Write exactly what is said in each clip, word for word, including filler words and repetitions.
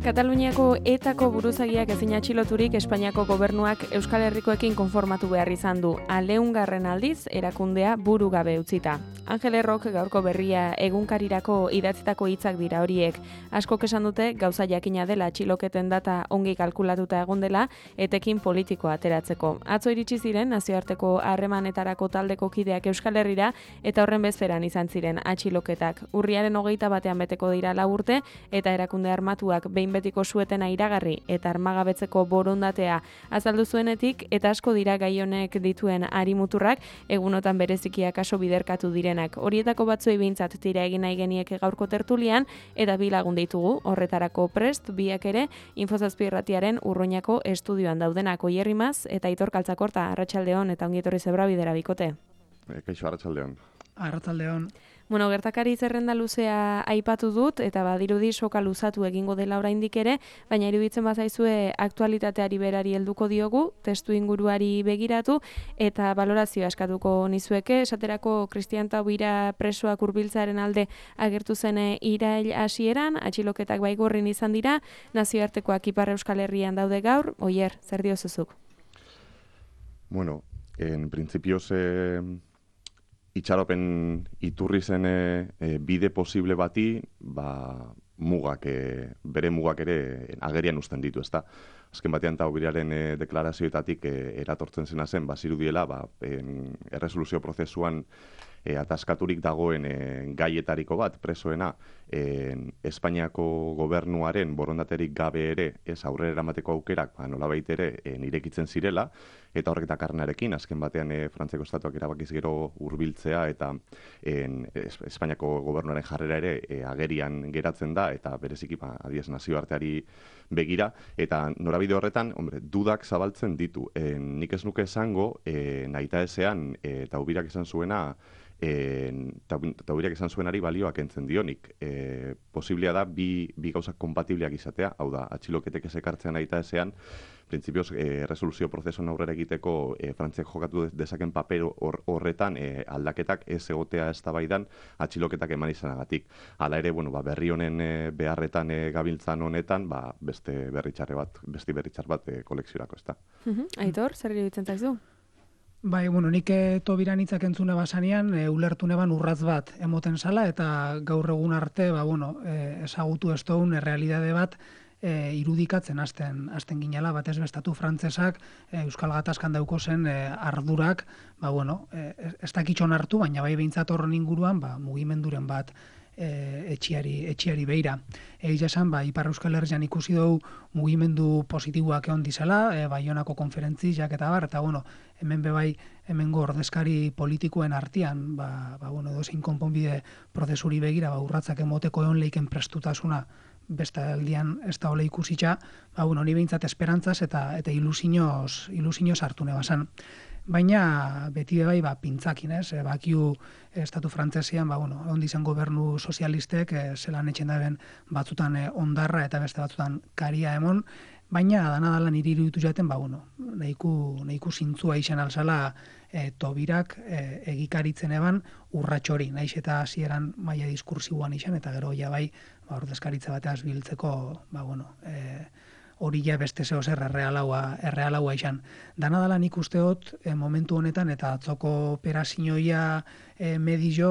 Kataluniako etako buruzagiak ezin atxiloturik Espainiako gobernuak Euskal Herrikoekin konformatu behar izan du. Aleungarren aldiz erakundea buru gabe utzita. Angel Errok gaurko berria egunkarirako idatzitako hitzak dira horiek. Askok esan dute gauza jakina dela atxiloketen data ongi kalkulatuta egon dela etekin politikoa ateratzeko. Atzo iritsi ziren nazioarteko harremanetarako taldeko kideak Euskal Herrira eta horren bezperan izan ziren atxiloketak. Urriaren hogeita batean beteko dira lau urte eta erakunde armatuak behin betiko suetena iragarri eta armagabetzeko borondatea azaldu zuenetik eta asko dira gai honek dituen arimuturrak egunotan berezikia kaso biderkatu direnak. Horietako batzuei behintzat tira egin nahi genieke gaurko tertulian eta bi lagun ditugu horretarako prest biak ere Infozazpi irratiaren Urruñako estudioan daudenak Oier Imaz eta Aitor Kaltzakorta. Arratsaldeon eta ongi etorri Zebra bidera bikote. Kaixo, arratsaldeon. Arratsaldeon. Bueno, gertakari zerrenda luzea aipatu dut eta badirudi soka luzatu egingo dela oraindik ere, baina iruditzen bazaizue aktualitateari berari helduko diogu, testu inguruari begiratu eta balorazioa eskatuko nizueke, esaterako Cristian Taubira presoak hurbiltzearen alde agertu zen irail hasieran, atxiloketak baigorrin izan dira, nazioartekoak Ipar Euskal Herrian daude gaur. Oier, zer diozuzuk? Bueno, en principio se itxaropen iturri zen e, bide posible bati, ba, mugak, e, bere mugak ere agerian uzten ditu, ezta. Azken batean Taubiraren e, deklarazioetatik e, eratortzen zena zen, bazirudiela, ba, en, erresoluzio prozesuan e, ataskaturik dagoen e, gaietariko bat, presoena, e, Espainiako gobernuaren borondaterik gabe ere, ez aurrera eramateko aukerak, ba, nolabait ere, e, nirekitzen zirela, eta horrek dakarrenarekin, azken batean e, Frantziako estatuak erabakiz gero hurbiltzea eta en, es, Espainiako gobernuaren jarrera ere e, agerian geratzen da, eta bereziki ba, adiez nazioarteari begira, eta norabide horretan, hombre, dudak zabaltzen ditu. E, nik ez nuke esango, e, nahita ezean, e, Taubirak esan zuena, Taubirak esan zuenari balioak entzen dionik. E, posiblea da bi, bi gauzak kompatibleak izatea, hau da, atxiloketek ezekartzean nahita ezean, printzipioz, e, resoluzio prozesuan aurrera egiteko e, Frantziak jokatu dezaken paper horretan e, aldaketak ez egotea eztabaidan atxiloketak eman izanagatik. Hala ere, bueno, ba, berri honen e, beharretan e, gabiltzan honetan, ba, beste berritxarre bat, beste berritxar bat e, kolekziorako, ezta. Aitor, zer iruditzen zaizu? Bai, bueno, nik Tobiran hitzak entzune basanean, e, ulertu neban urratz bat emoten zala, eta gaur egun arte, ba, bueno, e, ezagutu ez dugun errealidade bat e, irudikatzen hasten hasten ginela, batez bestatu frantzesak e, Euskal Gatazkan dauko zen e, ardurak, ba, bueno, e, ez dakitxon hartu, baina bai behintzat horren inguruan, ba, mugimenduren bat E, etxiari, etxiari beira. Egia esan, ba, Ipar Euskal Herrian ikusi dugu mugimendu positiboak egon dizela, e, Baionako konferentziak eta bar, eta bueno, hemen bebai, hemengo ordezkari politikoen artean, ba, ba, bueno, dozein konponbide prozesuri begira, ba, urratzak emoteko egon leiken prestutasuna beste aldian ez da ole ikusitza, ba, bueno, ni behintzat esperantzaz eta, eta ilusinoz, ilusinoz hartu nebasan. Baina beti bai ba pintzakin, ez? E, bakiu estatu frantzesean, ba bueno, ondi izan gobernu sozialistek e, zelan etxen daben batzutan e, ondarra eta beste batzutan karia emon, baina dana dala niri iruditu jaten, ba bueno, nahiko nahiko zintzua izan alzala e, Tobirak e, egikaritzen eban urratxori, naiz eta hasieran maila diskursiboan izan eta gero ja bai, ba ordezkaritza bateaz biltzeko, ba bueno, e, hori ja beste zeo zer errealaua, errealaua izan. Dana dala nik usteot e, momentu honetan eta atzoko operazioia e, medio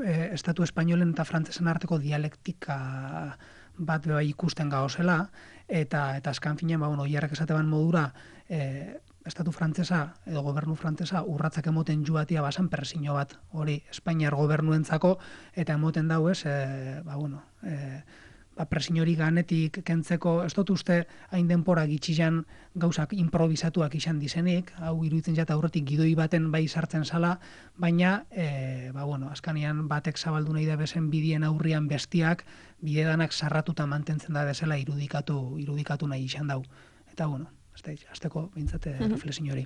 e, estatu espainolen eta frantzesen arteko dialektika bat bai ikusten gauzela eta eta azkan finean, ba, bueno, Oierrek esateban modura e, estatu frantzesa edo gobernu frantzesa urratzak emoten joatia basan persino bat hori Espainiar gobernuentzako eta emoten dau ez, e, ba, bueno, e, ba, presiñori ganetik kentzeko, ez dut uste hain denpora gitxian gauzak improvisatuak izan dizenik, hau iruditzen jata aurretik gidoi baten bai sartzen zala, baina, e, ba, bueno, azkanian batek zabaldu nahi da bezen bidien aurrian bestiak, bidedanak sarratuta mantentzen da bezala irudikatu, irudikatu nahi izan dau. Eta, bueno, azteko bintzate mm-hmm. reflexio hori.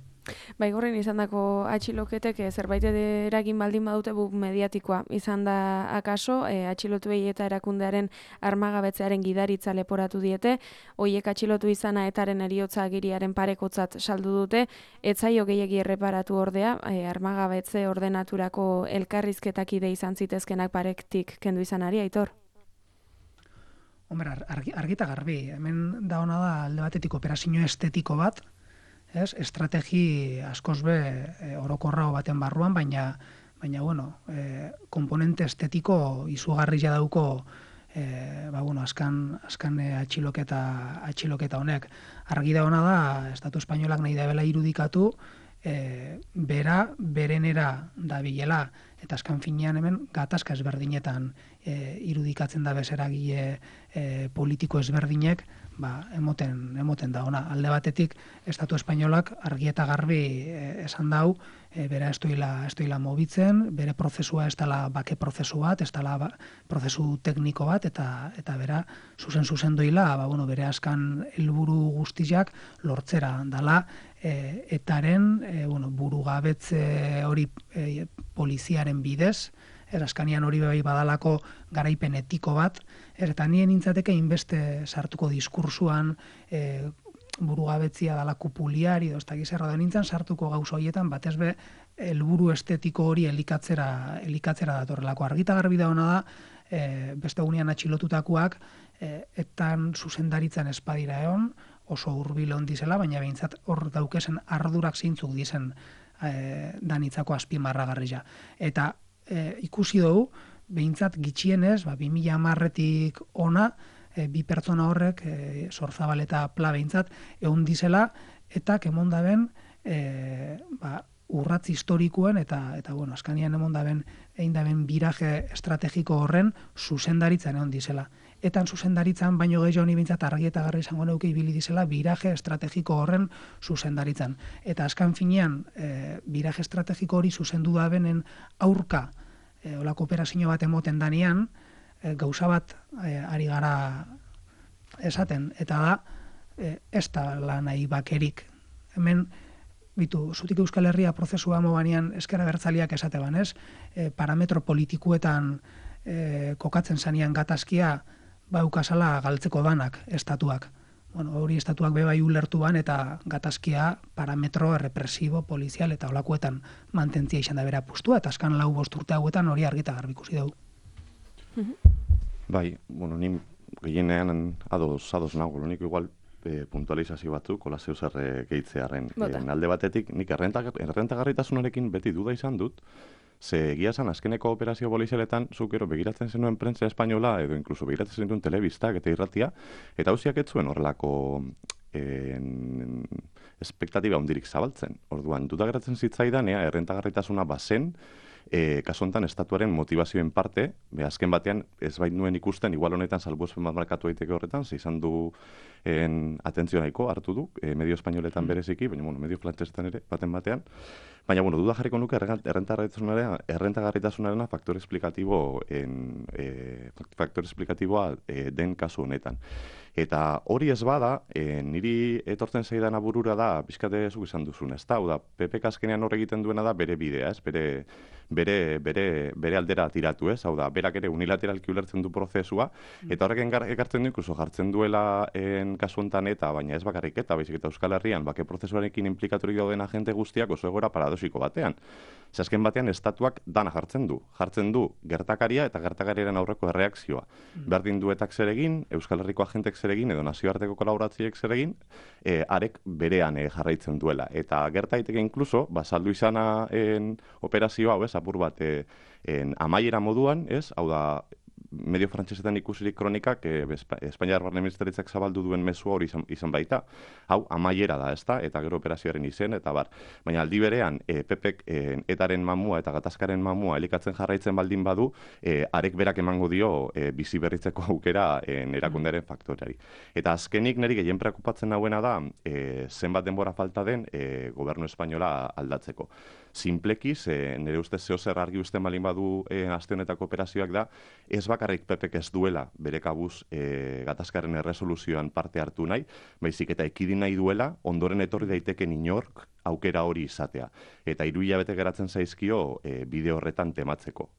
Baigorren izan dako atxiloketek e, zerbait eragin baldin badute buk mediatikoa izan da akaso, e, atxilotuei eta erakundearen armagabetzearen gidaritza leporatu diete, hoiek atxilotu izana etaren eriotza agiriaren parekotzat saldu dute, etzaio gehiegi erreparatu ordea, e, armagabetze ordenaturako elkarrizketak ide izan zitezkenak parektik kendu izanari, Aitor? Hombre, argi, argita garbi, hemen da hona da alde batetik operazio estetiko bat, ez? Estrategi askoz be e, orokorrago baten barruan, baina baina bueno, e, komponente estetiko izugarria dauko e, ba bueno, askan askan e, atxiloketa atxiloketa honek. Argi da hona da Estatu Espainolak nahi dabela irudikatu e, bera berenera dabilela, eta askan finean hemen gatazka ezberdinetan e, irudikatzen da bezeragile e, politiko ezberdinek, ba, emoten, emoten da ona. Alde batetik, Estatu Espainolak argi eta garbi e, esan dau, e, bera ez doila, ez doila mobitzen, bere prozesua ez dela bake prozesu bat, ez dela ba, prozesu tekniko bat, eta eta bera zuzen-zuzen doila, ba, bueno, bere askan helburu guztiak lortzera dala, e, etaren e, bueno, burugabetze hori e, poliziaren bidez, eraskanian hori bai badalako garaipen etiko bat, eta nien nintzateke inbeste sartuko diskursuan e, burugabetzia dala kupuliari, edo ez da gizerra da nintzen sartuko gauza horietan, batez be, helburu estetiko hori elikatzera, elikatzera datorrelako. Argita garbi da hona da, e, beste gunean atxilotutakoak, e, etan zuzendaritzen espadira egon, oso hurbil hon dizela, baina behintzat hor daukesen ardurak zeintzuk dizen e, danitzako azpimarragarria. Eta e, ikusi dugu, behintzat gitxienez, ba, bi mila hamarretik ona, e, bi pertsona horrek, e, Sorzabal eta Pla behintzat, egon dizela, eta kemondaben e, ba, urratz historikoen, eta, eta bueno, askanian emondaben, egin daben biraje estrategiko horren zuzendaritzan egon dizela. Etan zuzendaritzan, baino gehiago honi bintzat argi eta garri izango neuke ibili dizela biraje estrategiko horren zuzendaritzan. Eta askan finean, e, biraje estrategiko hori zuzendu da benen aurka, e, olako operazio bat emoten danean, e, gauza bat e, ari gara esaten, eta da, e, ez da lan nahi bakerik. Hemen, bitu, zutik Euskal Herria prozesua mobanean eskera bertzaliak esate banez, e, parametro politikuetan e, kokatzen zanean gatazkia, baukasala galtzeko danak estatuak. Bueno, hori estatuak bebai ulertu ban eta gatazkia parametro represibo, polizial eta olakoetan mantentzia izan da bera pustua, eta askan lau bost urte hauetan hori argita garbi ikusi dugu. Bai, bueno, ni gehienean ados, ados nago, nik igual e, puntualizazio batzuk, kola zeu zer gehitzearen. E, alde batetik, nik errentagarritasunarekin beti duda izan dut, ze egia esan, azkeneko operazio polizialetan, zuk ero begiratzen zenuen prentza espainola, edo inkluso begiratzen zenuen telebistak eta irratia, eta hausiak ez zuen horrelako en, espektatiba hundirik zabaltzen. Orduan, duda geratzen zitzaidan, ea, errentagarritasuna bazen, e, kasu honetan estatuaren motivazioen parte, be, azken batean ez bait nuen ikusten, igual honetan salbuespen bat markatu daiteke horretan, ze izan du en, atentzio nahiko hartu du, e, medio espainoletan bereziki, baina bueno, medio frantsesetan ere, baten batean. Baina, bueno, duda jarriko nuke errentagarritasunarena faktor esplikatibo en, e, faktor esplikatiboa e, den kasu honetan. Eta hori ez bada, e, niri etortzen zaidan aburura da, bizkate zuk izan duzun, ez da, da, P P azkenean hor egiten duena da bere bidea, ez, bere, bere, bere, bere aldera tiratu, ez, hau da, berak ere unilateralki ulertzen du prozesua, eta horrek ekartzen du, inkluso jartzen duela en kasu honetan eta, baina ez bakarrik eta, baizik eta Euskal Herrian, bake prozesuarekin implikaturik dauden agente guztiak oso egoera paradosiko batean. Ze azken batean estatuak dana jartzen du. Jartzen du gertakaria eta gertakariaren aurreko erreakzioa. Mm. Berdin duetak zer egin, Euskal Herriko agentek zer egin, edo nazioarteko kolaboratziek zer egin, e, arek berean e, jarraitzen duela. Eta gerta daiteke inkluso, ba, saldu izana en, operazio hau, ez, apur bat, e, en, amaiera moduan, ez, hau da, medio frantsesetan ikusirik kronikak, e, Espainiar Barne Ministeritzak zabaldu duen mezu hori izan, izan baita. Hau, amaiera da, ezta, eta gero operazioaren izen, eta bar. Baina aldi berean, e, Pepek e, etaren mamua eta gatazkaren mamua elikatzen jarraitzen baldin badu, e, arek berak emango dio e, bizi berritzeko aukera e, erakundearen faktoreari. Eta azkenik niri gehien preokupatzen nauena da, e, zenbat denbora falta den e, gobernu espainola aldatzeko. Simpleki, ze nire ustez zeo zer argi usten balin badu e, aste honetako operazioak da, ez bakarrik Pepek ez duela bere kabuz e, gatazkaren erresoluzioan parte hartu nahi, baizik eta ekidin nahi duela, ondoren etorri daiteken inork aukera hori izatea. Eta hiru hilabete geratzen zaizkio e, bide horretan tematzeko.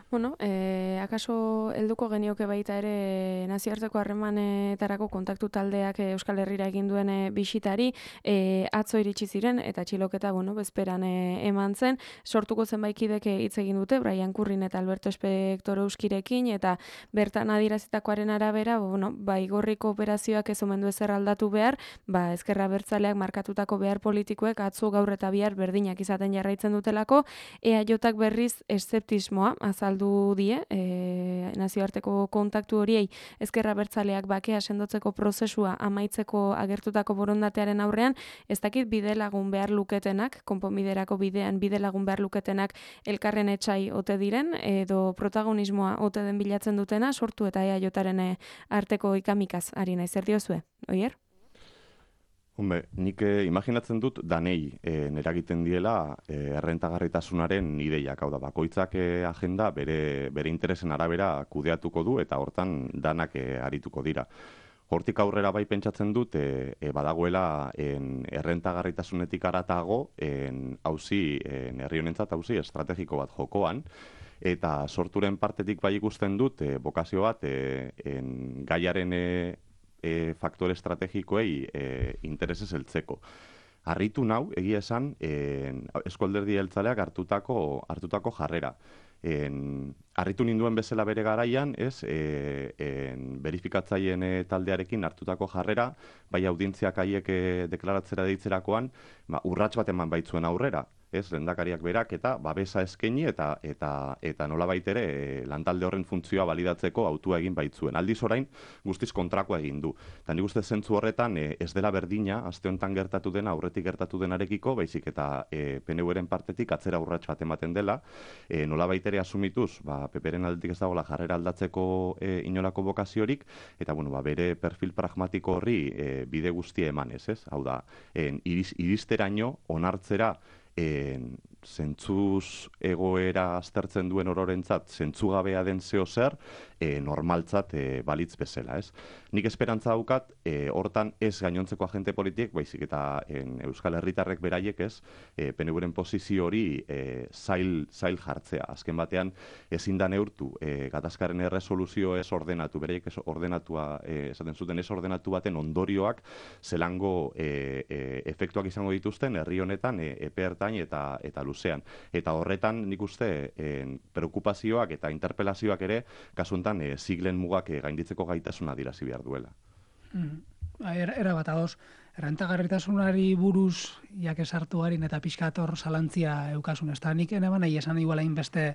Bueno, eh, akaso helduko genioke baita ere nazioarteko harremanetarako kontaktu taldeak Euskal Herrira egin duen bisitari, eh, atzo iritsi ziren eta atxiloketa, bueno, bezperan eh, eman zen, sortuko zenbaikidek hitz egin dute, Brian Currin eta Alberto Espector Euskirekin, eta bertan adierazitakoaren arabera, bueno, ba, igorriko operazioak ez omen du ezer aldatu behar, ba, ezkerra abertzaleak markatutako behar politikoek atzo gaur eta bihar berdinak izaten jarraitzen dutelako, E A Jak berriz eszeptismoa azaldu die, e, nazioarteko kontaktu horiei ezkerra abertzaleak bakea sendotzeko prozesua amaitzeko agertutako borondatearen aurrean, ez dakit bide lagun behar luketenak, konponbiderako bidean bide lagun behar luketenak elkarren etxai ote diren, edo protagonismoa ote den bilatzen dutena, sortu eta E A Jaren arteko ikamikaz ari naiz, zer diozue, Oier? Hombre, nik eh, imaginatzen dut danei eh, neragiten diela eh, errentagarritasunaren ideiak, hau da, bakoitzak eh, agenda bere, bere interesen arabera kudeatuko du eta hortan danak eh, arituko dira. Hortik aurrera bai pentsatzen dut e, e, badagoela en, errentagarritasunetik aratago en, auzi, en, herri honentzat auzi estrategiko bat jokoan, eta sorturen partetik bai ikusten dut e, bokazio bat e, en, gaiaren e, e, faktore estrategikoei e, interesez heltzeko. Harritu nau, egia esan, Eusko Alderdi Jeltzaleak hartutako, hartutako jarrera. En, harritu ninduen bezala bere garaian, ez, e, en, berifikatzaileen e, taldearekin hartutako jarrera, bai audientziak haiek e, deklaratzera deitzerakoan, ba, urrats bat eman baitzuen aurrera, ez, lehendakariak berak eta babesa eskaini eta eta eta nolabait ere e, lantalde horren funtzioa balidatzeko autua egin baitzuen. Aldiz orain guztiz kontrakoa egin du. Eta nik uste zentzu horretan e, ez dela berdina aste honetan gertatu dena aurretik gertatu denarekiko, baizik eta e, P N Uren partetik atzera urrats bat ematen dela, e, nolabait ere asumituz, ba P Pren aldetik ez dagoela jarrera aldatzeko e, inolako bokaziorik, eta bueno, ba, bere perfil pragmatiko horri e, bide guztia emanez, ez? Hau da, en, iriz, iristeraino onartzera En, zentzuz egoera aztertzen duen ororentzat, zentzugabea den zeo zer, e, normaltzat e, balitz bezala, ez? Nik esperantza daukat, e, hortan ez gainontzeko agente politiek, baizik eta en, Euskal Herritarrek beraiek ez, e, P N Uren posizio hori e, zail, zail jartzea. Azken batean, ezin da neurtu, e, gatazkaren erresoluzio ez ordenatu, beraiek ez ordenatua, e, esaten zuten ez ordenatu baten ondorioak, zelango e, e, efektuak izango dituzten, herri honetan, e, epe ertain eta, eta luzean. Eta horretan nik uste en, preokupazioak eta interpelazioak ere kasu honetan e, siglen mugak e, gainditzeko gaitasuna dirazi behar duela. Mm. Era, era bat ados, errentagarritasunari buruz jak esartu garin eta pixkator zalantzia eukasun. Ez da nik eneban nahi esan iguala inbeste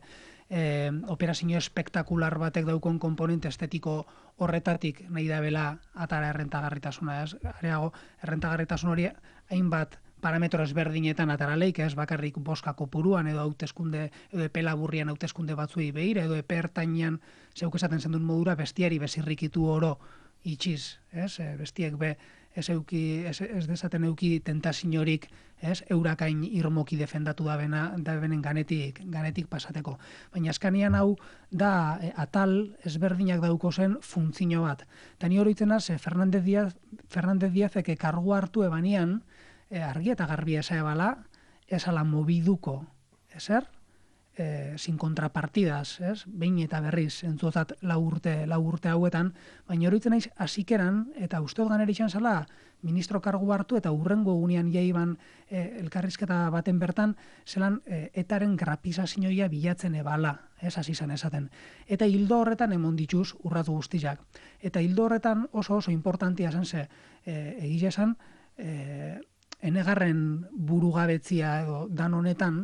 eh, operazio espektakular batek daukon komponente estetiko horretatik nahi da bela atara errentagarritasuna. Ez? Areago, errentagarritasun hori hainbat parametro ezberdinetan ataraleik, ez bakarrik boska kopuruan edo hauteskunde edo epe laburrian hauteskunde batzuei begira edo epe ertainean zeuk esaten zendun modura bestiari bezirrikitu oro itxiz, ez? E, bestiek be ez euki ez, ez desaten euki tentaziorik, ez? Eurakain irmoki defendatu da bena da benen ganetik ganetik pasateko. Baina askanian hau da e, atal ezberdinak dauko zen funtzio bat. Ta ni oroitzen naz Fernández Díaz Fernández Díazek kargu hartu ebanian E, argi eta garbi esa ebala, esala mobiduko, eser, e, sin contrapartidas, ez? Behin eta berriz, entzuotzat lau urte, lau urte hauetan, baina horitzen naiz hasikeran eta uste dut ganera izan zala, ministro kargu hartu eta urrengo gunean jaiban e, elkarrizketa baten bertan, zelan e, etaren grapizazioia bilatzen ebala, ez hasi izan esaten. Eta hildo horretan emon dituz urratu guztiak. Eta hildo horretan oso oso importantia zen ze, e, egia esan, e, enegarren burugabetzia edo dan honetan,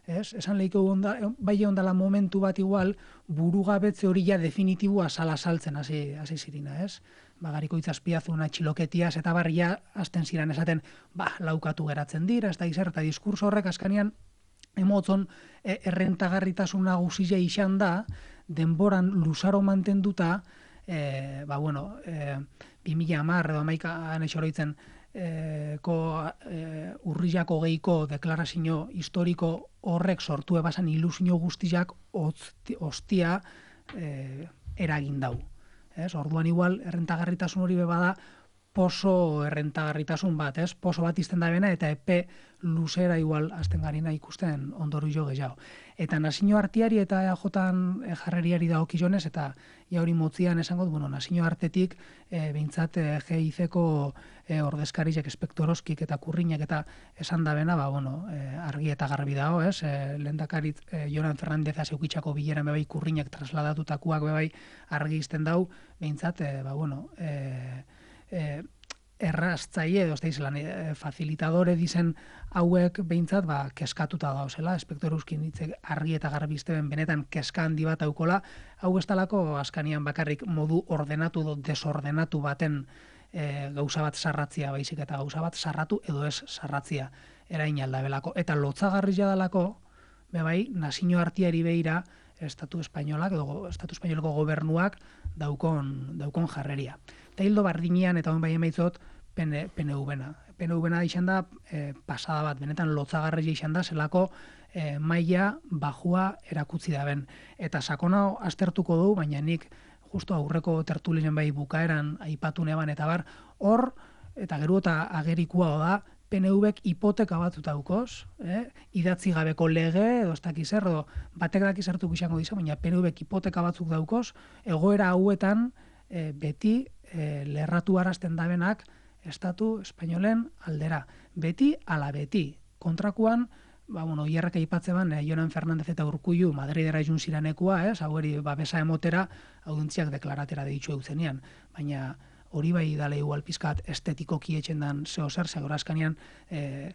ez? Esan lehiko onda, bai ondala momentu bat igual, burugabetze hori ja definitibua sala saltzen hasi hasi zirina, ez? Bagariko itzazpiazuna txiloketiaz eta barria hasten ziren esaten, ba, laukatu geratzen dira, ez da izer, eta diskurso horrek askanean emotzon e, errentagarritasuna guzia izan da, denboran luzaro mantenduta, e, ba, bueno, e, bi mila hamar edo amaika anexoroitzen, E, ko, e, urriako geiko deklarazio historiko horrek sortu ebasan ilusio guztiak ostia e, eragin dau. Ez? Orduan igual, errentagarritasun hori bebada poso errentagarritasun bat, ez? Poso bat izten da bena eta epe luzera igual azten garina ikusten ondoru jo gehiago. Eta nazio arteari eta E A J jarreriari dagokionez eta ja hori motzian esango du, bueno, nazio artetik e, behintzat e, G I C-ko e, ordezkariak espektoroskik eta kurriñak eta esan da bena, ba, bueno, e, argi eta garbi dago, ez? E, lehendakarit e, Jonan Fernandez azeukitxako bileran bebai kurriñak trasladatutakoak bebai argi izten dau, behintzat, e, ba, bueno, e, E, erraztzaile edo zelan e, facilitadore dizen hauek behintzat ba, keskatuta dauzela, espektoruzkin ditzek argi eta garbi izteben benetan keska handi bat aukola, hau ez talako askanian bakarrik modu ordenatu edo desordenatu baten e, gauza bat sarratzia baizik eta gauza bat sarratu edo ez sarratzia erain aldabelako. Eta lotzagarri jadalako, bebai, nazio artiari behira, Estatu Espainolak edo Estatu Espainoleko gobernuak daukon, daukon jarreria. Eta hildo bardinean, eta hon bai emaitzot, P N V-na. P N V-na izan da e, pasada bat, benetan lotzagarria izan da, zelako e, maila bajua erakutzi da ben. Eta sakona aztertuko du, baina nik justo aurreko tertulinen bai bukaeran aipatu neban eta bar, hor, eta gero eta agerikoa da, P N V-ek hipoteka batut daukoz, eh? idatzi gabeko lege, edo ez dakiz er, edo batek dakiz hartuko izango dizu, baina P N V-ek hipoteka batzuk daukoz, egoera hauetan e, beti e, lerratu arazten dabenak Estatu Espainolen aldera. Beti ala beti. Kontrakuan, ba, bueno, hierrak aipatze ban, eh, Jonan Fernandez eta Urkullu Madridera jun ziranekua, ez, hau eri babesa emotera, audentziak deklaratera deitxu eutzenean, baina hori bai dale igual pizkat estetikoki etxen dan zeo zer, zegora askanean e,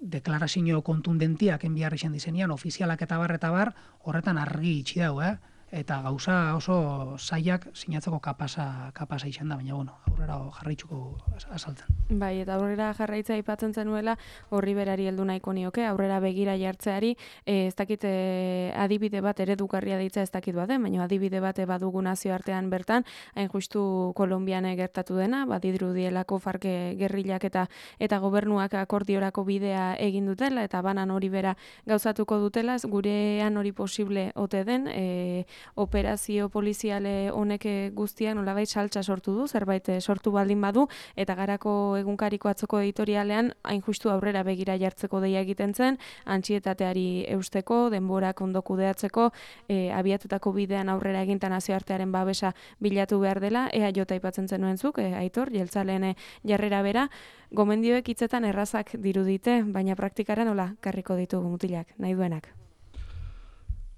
deklarazio kontundentiak enbiar izan dizenian, ofizialak eta bar eta bar, horretan argi itxi dau, eh? Eta gauza oso zaiak sinatzeko kapasa, kapasa izan da, baina bueno, aurrera jarraitzuko azaltzen. Bai, eta aurrera jarraitza aipatzen zenuela, horri berari heldu nahiko nioke, aurrera begira jartzeari, e, ez dakit e, adibide bat eredugarria ditza ez dakit baden, baina adibide bat badugu nazioartean bertan, hain justu Kolonbian gertatu dena, badirudielako farke gerrilak eta eta gobernuak akordiorako bidea egin dutela, eta banan hori bera gauzatuko dutela, gurean hori posible ote den, e, operazio poliziale honek guztiak nolabait saltza sortu du, zerbait sortu baldin badu, eta garako egunkariko atzoko editorialean hain justu aurrera begira jartzeko deia egiten zen, antxietateari eusteko, denborak ondo kudeatzeko, e, abiatutako bidean aurrera egintan nazioartearen babesa bilatu behar dela, ea jota aipatzen zenuen zuk, e, Aitor, jeltzaleen jarrera bera, gomendioek hitzetan errazak dirudite, baina praktikara nola karriko ditugu mutilak, nahi duenak.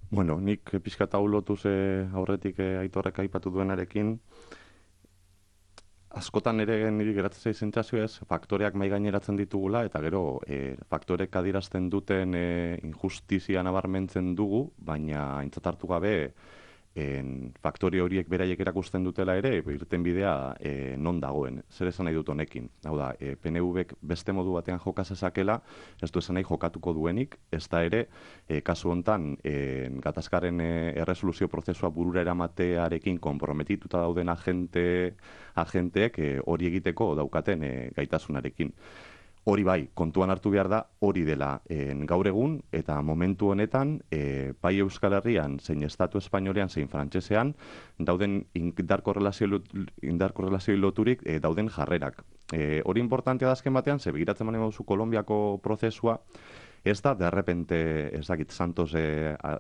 Bueno, nik pixkat hau lotuz e, aurretik e, Aitorrek aipatu duenarekin, askotan ere niri geratzen zaizen sentsazioa ez, faktoreak mai gaineratzen ditugula, eta gero e, faktorek adierazten duten e, injustizia nabarmentzen dugu, baina aintzat hartu gabe en, faktore horiek beraiek erakusten dutela ere, irten bidea e, non dagoen. Zer esan nahi dut honekin? Hau da, e, P N V-ek beste modu batean joka zezakela, ez du esan nahi jokatuko duenik, ez da ere, e, kasu hontan, e, gatazkaren e, erresoluzio prozesua burura eramatearekin konprometituta dauden agente, agenteek e, hori egiteko daukaten e, gaitasunarekin. Hori bai, kontuan hartu behar da, hori dela en, gaur egun, eta momentu honetan, e, bai Euskal Herrian, zein Estatu Espainolean, zein Frantsesean, dauden indar korrelazioi loturik e, dauden jarrerak. E, hori importantea da azken batean, ze begiratzen mani bauzu Kolonbiako prozesua, ez da, de repente, ez dakit, Santos e, a,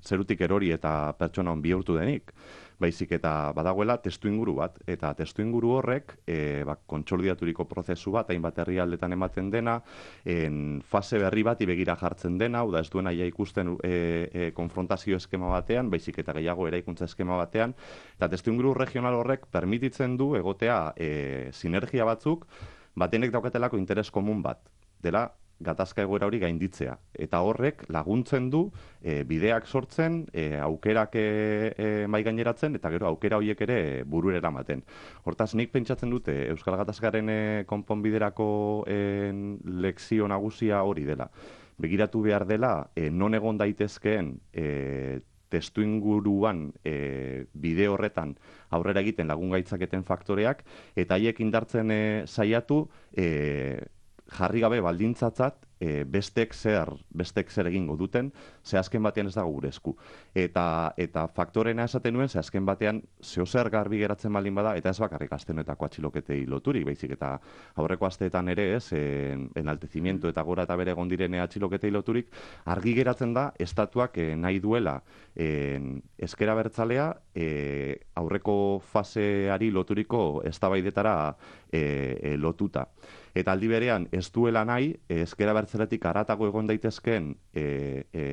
zerutik erori eta pertsona hon bihurtu denik. Baizik eta badagoela testu inguru bat, eta testu inguru horrek e, ba, kontsolidaturiko prozesu bat, hainbat herrialdetan ematen dena, en fase berri bati begira jartzen dena, hau da ez duena ja ikusten e, e, konfrontazio eskema batean, baizik eta gehiago eraikuntza eskema batean, eta testu inguru regional horrek permititzen du egotea e, sinergia batzuk, batenek daukatelako interes komun bat, dela gatazka egoera hori gainditzea. Eta horrek laguntzen du e, bideak sortzen, e, aukerak e, e, mai gaineratzen, eta gero aukera horiek ere burura eramaten. Hortaz, nik pentsatzen dute Euskal Gatazkaren e, konponbiderako e, lekzio nagusia hori dela. Begiratu behar dela, e, non egon daitezkeen e, testu inguruan e, bide horretan aurrera egiten lagun gaitzaketen faktoreak, eta haiek indartzen e, saiatu, e, jarri gabe baldintzatzat e, bestek zer, bestek zer egingo duten, ze azken batean ez dago gure esku. Eta, eta faktorena esaten nuen, ze azken batean zeo zer garbi geratzen baldin bada, eta ez bakarrik astenetako atxiloketei loturik, baizik, eta aurreko asteetan ere ez, en, enaltezimiento eta gora eta bere gondirene atxiloketei loturik, argi geratzen da, estatuak e, nahi duela en, ezker abertzalea e, aurreko faseari loturiko eztabaidetara e, e, lotuta. Eta aldi berean ez duela nahi, ezker abertzaletik haratago egon daitezkeen e, e,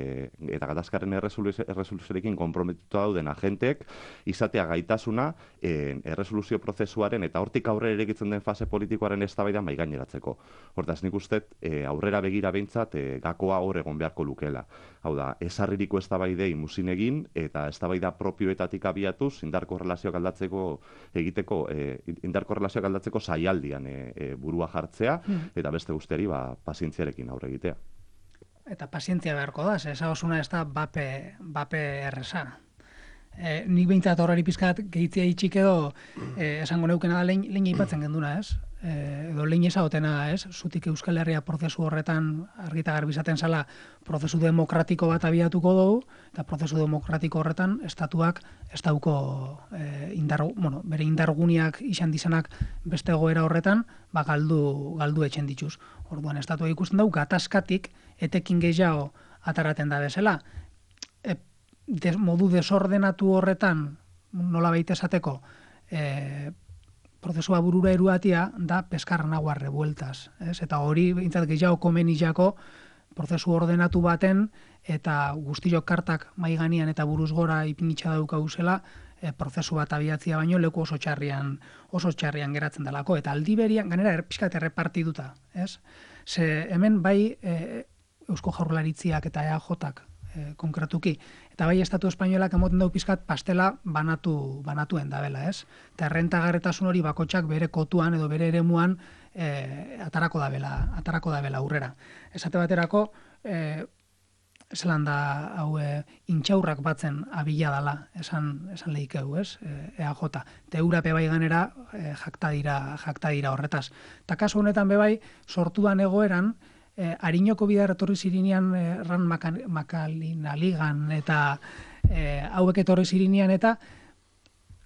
eta gatazkaren erresoluzioarekin konprometituta dauden agenteek izatea gaitasuna e, erresoluzio prozesuaren eta hortik aurrera irekitzen den fase politikoaren eztabaida mai gaineratzeko. Hortaz nik uste e, aurrera begira behintzat e, gakoa hor egon beharko lukeela. Hau da, ezarririko eztabaidei muzin egin eta eztabaida propioetatik abiatuz indarko relazioak aldatzeko egiteko e, indarko relazioak aldatzeko saialdian e, e, burua jartzea eta beste guztiari ba, pazientziarekin aurre egitea. Eta pazientzia beharko da, eza osuna ez da bape, bape erresa. E, nik behintzat horreri pizkat gehitzea itxik edo e, esango neukena da lehen, lehen ipatzen genduna, ez? E, edo lehen ezagotena, ez? Zutik Euskal Herria prozesu horretan argita garbizaten zala prozesu demokratiko bat abiatuko dugu, eta prozesu demokratiko horretan estatuak ez dauko e, indar, bueno, bere indarguniak izan dizanak beste egoera horretan, ba galdu, galdu etxen dituz. Orduan, estatuak ikusten dugu gatazkatik etekin gehiago ataraten da bezala. E, de, modu desordenatu horretan, nola baita esateko, e, prozesua burura eruatia da peskarra naguar revueltas. Ez? Eta hori, bintzat gehiago komenizako prozesu ordenatu baten eta guztiok kartak maiganian eta buruz gora ipinitxa daukauzela e, prozesu bat abiatzia baino leku oso txarrian, oso txarrian geratzen delako. Eta aldi berian, ganera, er, pixkat errepartituta. Ez? Ze hemen bai e, Eusko Jaurlaritziak eta E A Jak e, konkretuki, eta bai Estatu Espainolak emoten dau pizkat pastela banatu, banatuen dabela, ez? Eta errentagarretasun hori bakotxak bere kotuan edo bere eremuan e, atarako dabela, atarako dabela aurrera. Esate baterako, e, zelan da hau e, intxaurrak batzen abila dala, esan, esan lehikeu, ez? E, E A J. Eta eurape bai ganera e, jakta dira, jakta dira horretaz. Eta kasu honetan bebai, sortudan egoeran, Eh, Ariñoko bidar etorri zirinean eh, Ran Makalinaligan eta eh, hauek etorri zirinean eta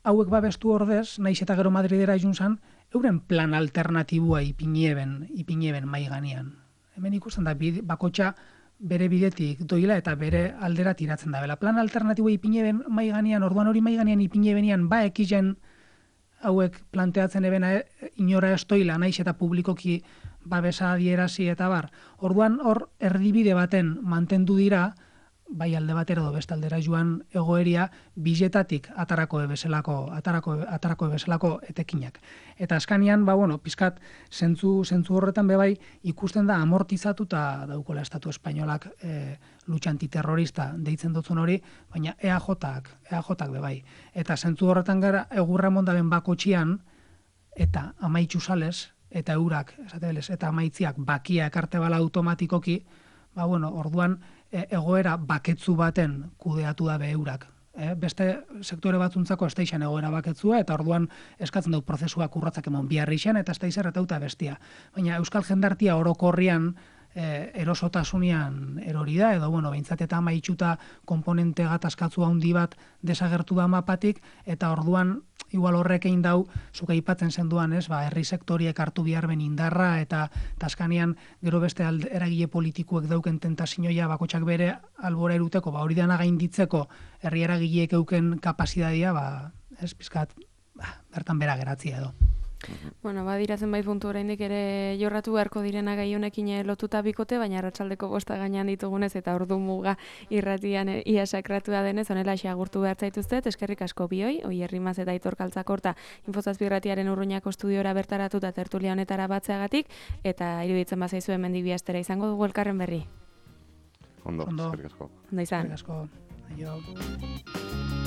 hauek babestu ordez, naiz eta gero Madridera junzan, euren plan alternatibua ipineben, ipineben mai ganean. Hemen ikusten da bide, bakotxa bere bidetik doila eta bere aldera tiratzen da. Bela plan alternatibua ipineben mai ganean, orduan hori mai ganean ipinebenian ba ekizen hauek planteatzen ebena e, inora estoila naiz eta publikoki babesa adierasi eta bar. Orduan hor erdibide baten mantendu dira, bai alde batera edo beste aldera joan egoeria biletatik atarako bezalako atarako atarako bezalako etekinak. Eta askanian ba bueno, pizkat zentzu zentzu horretan be bai ikusten da amortizatuta daukola Estatu Espainolak e, lucha antiterrorista deitzen dutzun hori, baina E A Jak, E A Jak be bai. Eta zentzu horretan gara egurra mondaben bakotxian eta amaitzu sales eta eurak, esatebelez, eta amaitziak bakia ekarte bala automatikoki, ba bueno, orduan e, egoera baketzu baten kudeatu da be eurak. E, beste sektore batzuntzako ez da izan egoera baketzua, eta orduan eskatzen dut prozesuak urratzak emon biharri izan, eta ez da izerretauta bestia. Baina Euskal Jendartia orokorrian e, erosotasunean erori da, edo bueno, behintzat eta amaitxuta komponente gatazkatzu handi bat desagertu da mapatik, eta orduan igual horrek egin dau, zuka aipatzen zenduan, ez, ba, herri sektoriek hartu behar ben indarra, eta taskanean gero beste alde, eragile politikuek dauken tentazioa bakotxak bere albora eruteko, ba, hori dana gainditzeko herri eragileek euken kapazitatea, ba, ez, pizkat, ba, bertan bera geratzia edo. Bueno, badiratzen bai puntu oraindik ere jorratu beharko direna gai honekin lotuta bikote, baina arratsaldeko bosta gainean ditugunez eta ordu muga irratian ia sakratua denez, honela agurtu behar zaituztet, eskerrik asko bioi, Oier Rimaz eta Aitor Kaltzakorta Infozazpi irratiaren Urruñako estudiora bertaratuta tertulia honetara batzeagatik, eta iruditzen bazaizu hemendik bi astera izango dugu elkarren berri. Ondo, Ondo. eskerrik asko. Ondo izan. Eskerrik asko. Aio.